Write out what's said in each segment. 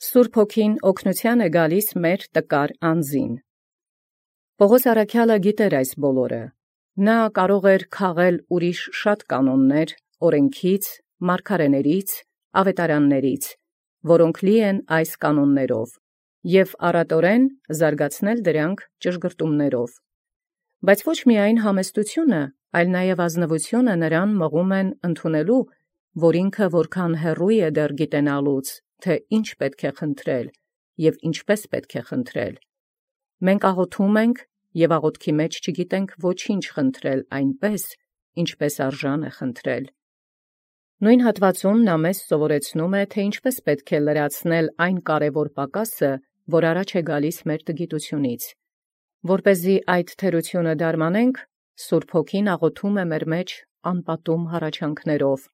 Սուրբ Հոգին օգնութեան է գալիս մեր տկար անձին։ Պողոս առաքյալը գիտեր այս բոլորը։ Նա կարող էր քաղել ուրիշ շատ կանոններ, օրենքից, մարգարեներից, ավետարաններից, որոնք լի են այս կանոններով, և առատորեն զարգացնել դրանք ճշգրտումներով։ Բայց ոչ միայն համեստությունը, այլ նաև ազնվությունը նրան մղում են ընդունելու, որ ինքը որքան հեռու է դեռ գիտենալուց, թե ինչ պետք է խնդրել և ինչպես պետք է խնդրել։ Մենք աղոթում ենք և աղոթքի մեջ չգիտենք ոչինչ խնդրել այնպես, ինչպես արժան է խնդրել։ Նույն հատվածում նա մեզ սովորեցնում է, թե ինչպես պետք է լրացնել այն կարևոր պակասը, որ առաջ է գալիս մեր տգիտությունից։ Որպեսզի այդ թերությունը դարմանենք, Սուրբ Հոգին աղոթում է մեր մեջ անպատում հառաչանքներով,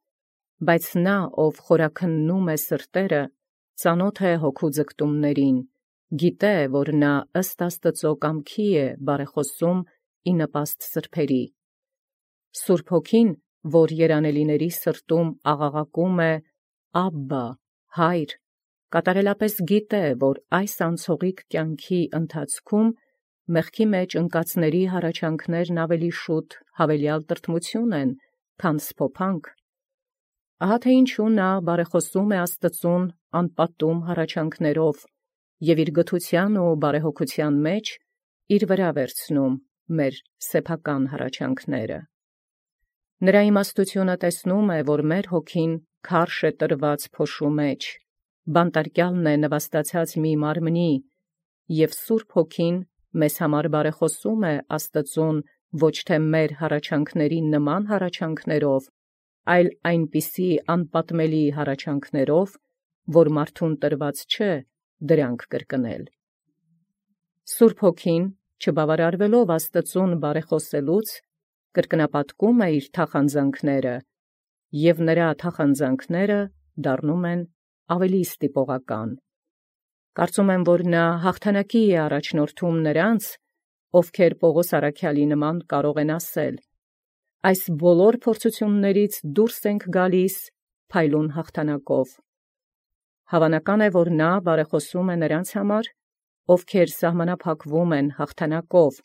բայց նա, ով խորաքննում է սրտերը, ծանոթ է հոգու ձգտումներին, գիտե, որ նա ըստ Աստծո կամքի է բարեխոսում ի նպաստ սրբերի։ Սուրբ Հոգին, որ երանելիների սրտում աղաղակում է «Աբբա, Հայր», կատարելապես գիտե, որ այս անցողիկ կյանքի ընթացքում մեղքի մեջ ընկածների հառաչանքներն ավելի շուտ հավելյալ տրտմություն են, քան սփոփանք։ Ահա թե ինչու նա բարեխոսում է Աստծուն անպատում հառաչանքներով և իր գթության ու բարեհոգության մեջ իր վրա վերցնում մեր սեփական հառաչանքները։ Նրա իմաստությունը տեսնում է, որ մեր հոգին քարշ է տրված փոշու մեջ, բանտարկյալն է նվաստացած մի մարմնի, և Սուրբ Հոգին մեզ համար բարեխոսում է Աստծուն ոչ թե մեր հառաչանքների նման հառաչանքներով, այլ այնպիսի անպատմելի հառաչանքներով, որ մարդուն տրված չէ դրանք կրկնել։ Սուրբ Հոգին, չբավարարվելով Աստծուն բարեխոսելուց, կրկնապատկում է իր թախանձանքները, և նրա թախանձանքները դառնում են ավելի ստիպողական։ Կարծում եմ, որ նա հաղթանակի է առաջնորդում նրանց, ովքեր Պողոս առաքյալի նման կարող են ասել. «Այս բոլոր փորձություններից դուրս ենք գալիս փայլուն հաղթանակով»։ Հավանական է, որ նա բարեխոսում է նրանց համար, ովքեր սահմանափակվում են հաղթանակով,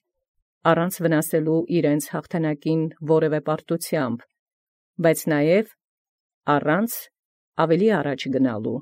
առանց վնասելու իրենց հաղթանակին որևէ պարտությամբ, բայց նաև առանց ավելի առաջ գնալու։